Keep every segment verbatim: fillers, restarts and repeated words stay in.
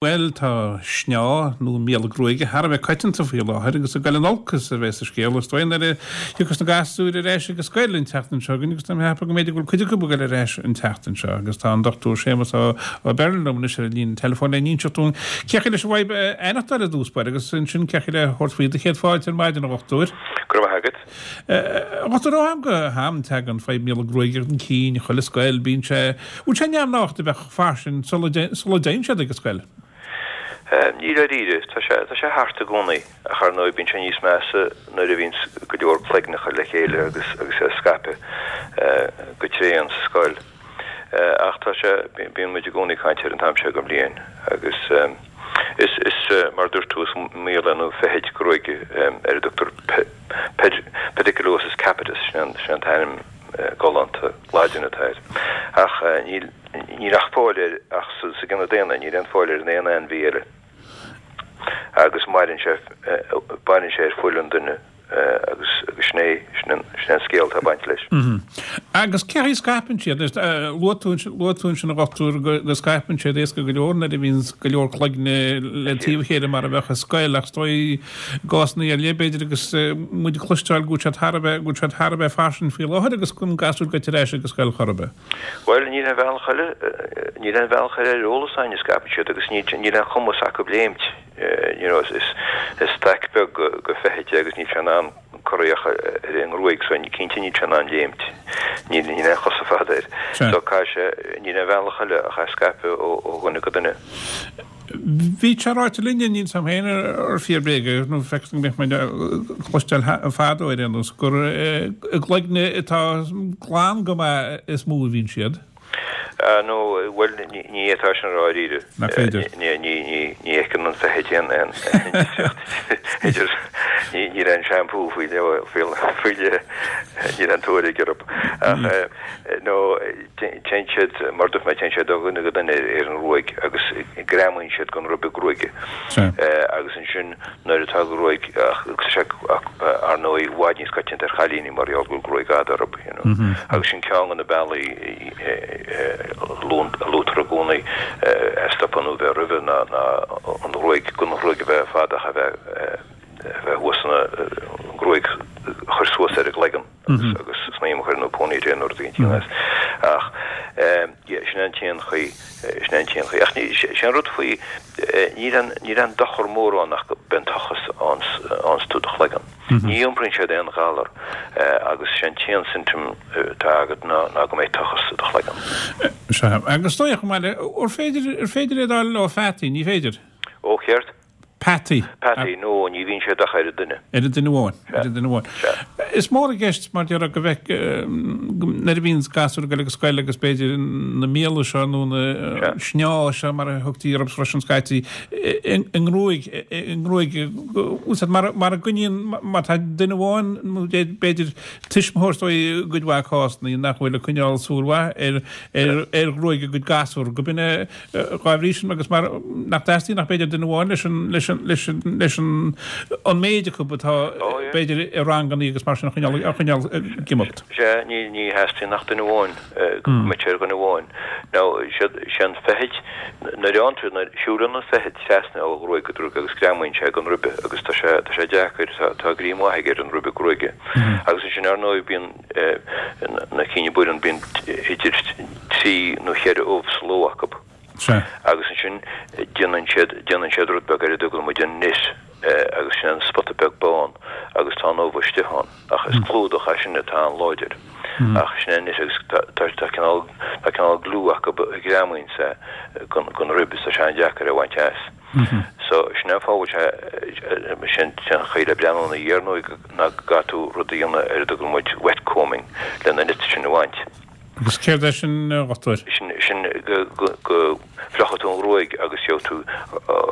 Bhuel, tá sneá nó míola gruaige thar a bheith coitianta faoi láthair agus ag dul in olcas a bheas an scéal is dóigh nuair a thiocfas na gasúir ar ais ag an scoil an tseachtain seo chugainn agus tá mé ag ceapadh go mb'fhéidir go bhfuil cuid acu ag dul ar ais an tseachtain seo agus tá an Dochtúir Séamus Ó Beirn liom anois ar an líne teileafóin le n-inseacht dúinn cén chaoi leis an bhfadhb a aithneachtáil i dtús báire agus ansin cén chaoi le thabhairt faoi do chéad fáilte ar maidin a dhochtúir. Go raibh maith agat. A dhochtúir ó am go ham tagann fadhb míola gruaige chun cinn chuile scoil bíonn sé bhfuil sé neamhghnách a bheith fairsing sula dtéann siad ag an scoil. Ní dáiríre, tá sé tá sé thart i gcónaí, ach ar ndóigh bíonn sé níos measa nuair a bhíonns go leor cloigneacha le chéile agus agus é ag scaipeadh go tréan sa scoil. Ach tá sé, bíonn muid i gcónaí ag caint air an t-am seo den bhliain agus is is mar a dúirt tú is míola nó feithid gruaige ar a dtugtar pediculosis capitis, sin an sin an t-ainm galánta Laidin atá air. Ach níl Níl ach fáil air ach sa gcine daonna, níl aon fáil air in aon ainmhí eile. Agus maireann sé, maireann sé ar fuil an duine agus agus sin é, sin an, sin é an scéal atá ag baint leis. Agus cén chaoi a scaipeann siad? Luaigh tú, luaigh tú ansin a dhochtúir go, go scaipeann siad éasca go leor nuair a bhíonn go leor cloigne le taobh a chéile mar a bheadh i scoil ach is dóigh i gcásanna ar leith b'fhéidir agus muid ag cloisteáil go bhfuil siad thar a bheith, go bhfuil siad thar a bheith fairsing faoi láthair agus go gasúir ag goil ar ais ag an scoil chor ar bith. Bhuel, níl aon bhealach eile, níl aon bhealach eile ar eolas againn a scaipeann siad agus níl, níl aon chumas acu léimt, you know, is, is staic beag de feithid é agus níl sé in ann corraí ach ar an ngruaig so cinnte níl sé in ann léimt, níl, níl aon chosa fada air. So caithfidh sé, níl aon bhealach eile ach é a scaipeadh ó, ó dhuine go duine. Bhí sé ráite linne, níl 's a'm féin ar fíor bréag é, nó feictear go mbeadh muid ag cloisteáil fadó ar aon nós, gur i gcloigne atá glan go maith is mó a bhíonn siad. No, bhuel, ní fhéadfá sin a rá dáiríre. Nach féidir? Ní, ní, ní, ní fheiceann an feithid aon, aon difríocht idir, ní, níl aon shampoo faoi leith, faoi leith, níl aon tuairisc orthu. Ach, no, Téann siad, mar a dúirt mé, téann siad ó dhuine go duine ar an ngruaig agus greamaíonn siad den ribe gruaige. Agus ansin nuair atá gruaig, ach tá sé ar ndóigh i bhfad níos coitianta ar chailíní mar gheall go bhfuil gruaig fhada orthu, you know. Agus sin ceann de na bealaí a luaitear i gcónaí a stopadh nó bheith roimhe ná an ghruaig, gan an ghruaig a bheith fada ach a bheith a bheith thuas ina, an ghruaig a chur suas ar an gcloigeann. agus agus snaidhm a chur nó ponytail nó rud éigin as. Ach yeah, sin an t-aon chaoi, sin an t-aon chaoi. Ach ní, sé an rud faoi, níl aon, níl aon dochar mór ann ach go mbíonn tochas ann fhaigheanns tú do chloigeann. Ní iompraíonn siad aon ghalar agus sé an t-aon symptom atá agat ná ná go mbeidh tochas i do chloigeann. Sea, agus dóigh chomh maith le, ar féidir, ar féidir é a fháil ó pheataí, ní féidir? Ó céard? Peataí. Peataí, no, ní bhíonn siad ach ar an duine. Ar an duine amháin. Ar an duine amháin. Sea. Is mór i gceist, mar déarfá, go bhfeic, nuair a bhíonn gasúir ag dul ag an scoil agus b'fhéidir na míola seo nó na sneá seo mar a thugtaí orthu freisin scaití, i ngruaig, i ngruaig, úsáid mar, mar a gcoinníonn, má tá duine amháin nó b'fhéidir tuismitheoir is dóigh i gcuid mhaith cásanna nach bhfuil ag coinneáil súil mhaith ar, ar, ar ghruaig a gcuid gasúr, go b'in é Dhá bhrí sin agus mar nach dteastaíonn ach b'fhéidir duine amháin leis an, leis an, leis an, leis an, an méid acu atá b'fhéidir i ranganna agus mar sin a choinneáil, a choinneáil ag imeacht. Sea, ní, ní theastaíonn ach duine amháin, go mbeadh sé ar dhuine amháin. Now, sé, sé an feithid, nuair a fhaigheann tú, nuair, siúlann an feithid trasna ó ghruaig go gruaig agus greamaíonn sé den ribe agus tá sé, tá sé deacair, tá, tá greim mhaith aige ar an ribe gruaige. Agus ansin, ar ndóigh, bíonn, na cinn a bhaineann, bíonn idir trí nó cheithre ubh sa ló acu. Agus ansin déanann siad, déanann siad rud beag ar a dtugann muid an nit agus sin an spota beag bán agus tá an ubh istigh ann. Ach is clúdach é sin atá an-láidir. Ach sin é an nit agus tá, tá, tá cineál, tá cineál glue acu a ghreamaíonn sé den rib is tá sé an-deacair é a bhaint as. So, sin é an fáth a bhfuil sé, sin an chaoi le breathnú ina dhiaidh ar ndóigh ná go gcaithfidh tú rud a dhéanamh ar a dtugann muid wet combing le na nits sin a bhaint. Agus céard é sin, a dhochtúir? Sin, sin go, go, go bhfliuchfaidh tú an ghruaig agus gheobhaidh tú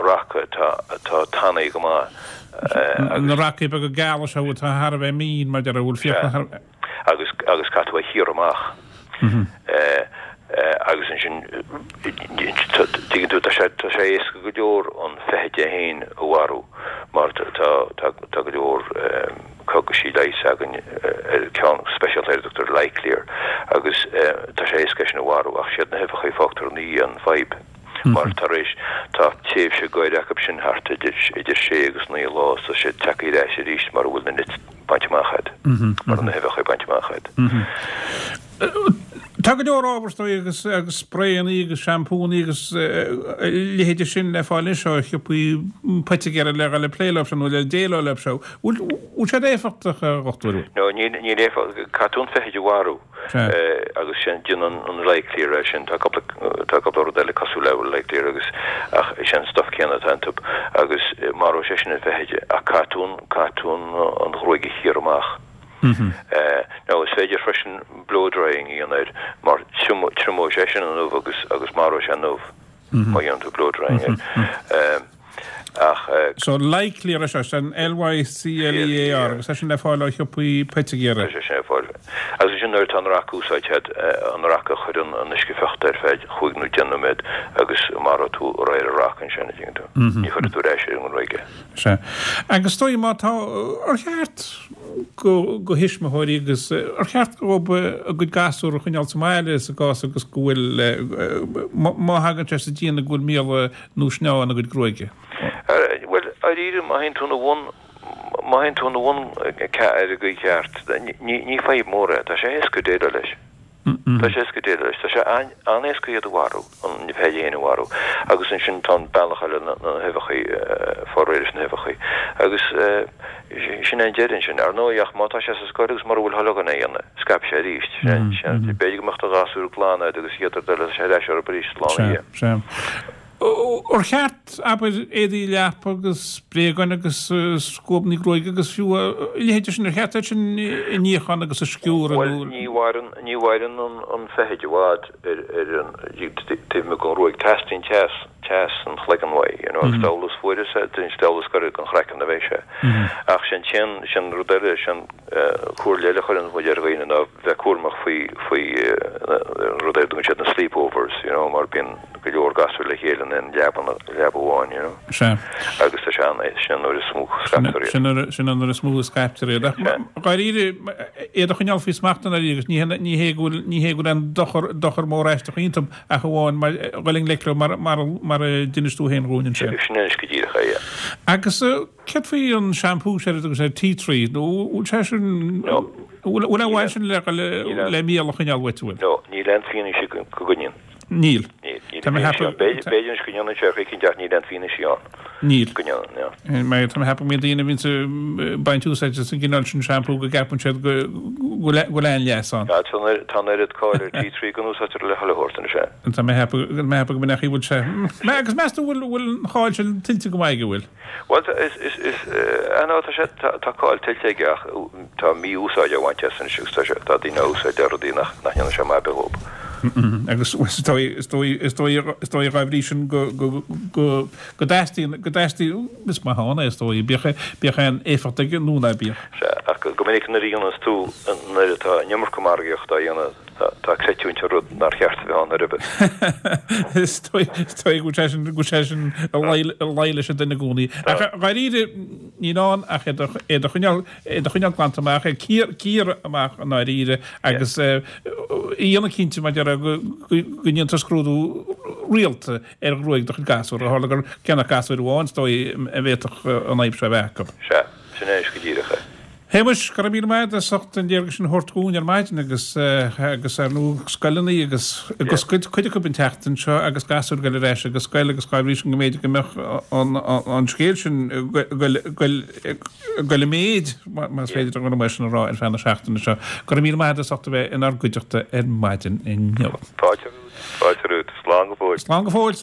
raca atá, atá tanaí go maith agus. Na racaí beaga geala seo atá thar a bheith mín, mar déarfá, a bhfuil fiacla thar a bheith. Agus, agus caithfidh tú é a chíoradh amach. Agus ansin, tuigeann tú, tá sé, tá sé éasca go leor an feithid é féin a mharú mar tá, tá, tá go leor cogaisí leighis againn ar ceann speisialta ar a dtugtar Lyclear agus tá sé éasca é sin a mharú ach siad na huibheacha a fágtar ina dhiaidh an fadhb. Mar tar éis tá tréimhse goir acu sin thart idir idir sé agus naoi lá tá sé tagtha ar ais arís mar a bhfuil na nits bainte amach agat. Mar na huibheacha bainte amach agat. Tá go leor ábhar is dóigh agus agus spraeanna agus seampúnna agus a leithéide sin le fáil anois ó shiopaí poitigéara le le plé leo sin nó le déileáil leo seo. Bhfuil siad éifeachtach a dhochtúir? No níl níl éifeacht caithfidh tú an feithid a mharú agus sin déanann an Lyclear é sin tá cúpla tá cúpla rud eile cosúil le Lyclear agus ach is é an stuff céanna atá iontu agus maróidh sé sin an feithid ach caithfidh tú an caithfidh tú an ghruaig a chíoradh amach. Nó is féidir freisin blow drying a dhéanamh air mar triomóidh sé sin an ubh agus agus maróidh sé an ubh má dhéanann tú blow drying air. Ach. So Lyclear é seo, sin L-Y-C-L-E-A-R agus é sin le fáil ó shiopaí poitigéara. Tá sé sin le fáil. Agus sin nuair atá an raca úsáidte agat, an raca a chur in uisce fiuchta ar feadh chúig nó deich nóiméad agus maróidh tú réir an raca ansin, an dtuigeann tú. Ní chuirfidh tú ar ais ar an ngruaig é. Sea. Agus is dóigh má tá, ar cheart go go thuismitheoirí agus ar cheart dóibh a gcuid gasúr a choinneáil sa mbaile sa gcás agus go bhfuil má thagann sé sa déanamh go bhfuil míola nó sneá ina gcuid gruaige? Bhuel, dáiríre, má théann tú ina bhun, má théann tú ina bhun ar an gcaoi cheart, ní ní fadhb mór é, tá sé éasca déileáil leis. Tá sé éasca déileáil leis. Tá sé an-éasca iad a mharú, an fheithid féin a mharú. Agus ansin tá an bealach eile, na huibheacha, fáil réidh leis na huibheacha. Agus sin é an deireadh ansin. Ar ndóigh, ach má tá sé sa scoil agus mura bhfuil thoil againn é a dhéanamh, scaipfidh sé arís. Sin, b'fhéidir go mbeadh do ghasúr glan agat agus an chéad rud eile, tá sé ar ais orthu arís lá ina dhiaidh. Sea, sea. Ar cheart, abair, éadaí leapa agus bréagáin agus scuabanna gruaige agus fiú a leithéide sin, ar cheart iad sin a níochán agus a sciúradh nó? Bhuel, ní mhaireann, ní mhaireann an feithid i bhfad ar, ar an, taobh amuigh den ghruaig. Teastaíonn teas, teas an chloigeann uaidh, you know, agus diabhal is fuaire is diabhal is gaire don chraiceann a bheidh sé. Ach sin an, sin rud eile, sin comhairle eile a chuireann muid ar dhaoine ná bheith cúramach faoi, faoi rud ar a dtugann siad na sleepovers, you know, mar bíonn go leor gasúr le chéile in aon leaba, leaba amháin, you know. Sea. Agus tá sé an, sin an uair is mó a scaiptear iad. Sin an, sin an uair is mó a scaiptear iad. Ach dháiríre, iad a choinneáil faoi smacht i ndáiríre agus ní hé, ní hé go bhfuil, ní hé go bhfuil aon dochar, dochar mór aisteach iontu ach amháin mar, dhul i ngleic leo mar, mar, mar a d'inis tú féin dhúinn ansin. Sin anois go díreach é, yeah. Agus Céard faoi an seampú sin a dtugann siad tea tree nó bhfuil sé sin No. bhfuil aon mhaith sin le le míol a choinneáil uait bhfuil? No, níl aon fianaise go gcoinníonn. Níl. Níl, níl Tá mé ag ceapadh. B'fhéidir anois go ndéanann sé ar chaoi ach níl aon fianaise ann. Níl. Go ndéanann, yeah. Mar tá mé ag ceapadh go mbíonn daoine a bhíonns ag baint úsáid as an gcineál sin seampú go gceapann siad go bhfuil an-leas ann. Tá an oiread cáil ar tea tree go n-úsáidtear le chuile shórt anois é. Tá mé ag ceapadh go mbeadh a bhfuil sé. Agus meas tú bhfuil bhfuil an cháil sin tuillte go maith aige bhfuil? Bhuel, is, is, is, eh, no, tá sé, tá, tá cáil tuillte aige ach tá mí-úsáid á bhaint as anois agus tá sé, tá daoine á úsáid le rudaí nach, nach ndéanann sé maith ar bith dhób. Agus is dóigh, is dóigh, is dóigh, is dóigh dhá bhrí sin go, go, go, go dteastaíonn, go dteastaíonn, is maith ann é is dóigh, bíodh, bíodh aon éifeacht aige nó ná bíodh. Sea, ach go minic nuair a dhéanas tú, nuair atá an iomarca margaíochta á dhéanamh, Tá creidiúint ar rud nár cheart a bheith ann ar bith. Is dóigh go bhfuil sé sin, go bhfuil sé sin ag luí leis an duine i gcónaí. Ach dháiríre, níl ann ach iad a choinneáil, iad a choinneáil glanta amach, ag cíoradh amach i ndáiríre agus a dhéanamh cinnte mar a déarfá go ndéantar scrúdú rialta ar ghruaig do chuid gasúr. Ó tharla gur cé nach gasúir amháin is dóigh a bhféadfadh an fhadhb seo a bheith acu. Sea, sin é anois go díreach é. Shéamais, go raibh míle maith agat as ucht an léargas sin a thabhairt dhúinn ar maidin agus agus ar ndóigh scoileanna agus ag oscailt cuid acu an tseachtain seo agus gasúir ag dul ar ais ag an scoil agus dhá bhrí sin go mb'fhéidir go mbeadh an an scéal sin ag dul ag dul i méid más féidir an rud sin a rá ar feadh na seachtaine seo. Go raibh míle maith agat as ucht a bheith inár gcuideachta ar maidin inniu. Fáilte romhat, fáilte romhat. Slán go fóill. Slán go fóill.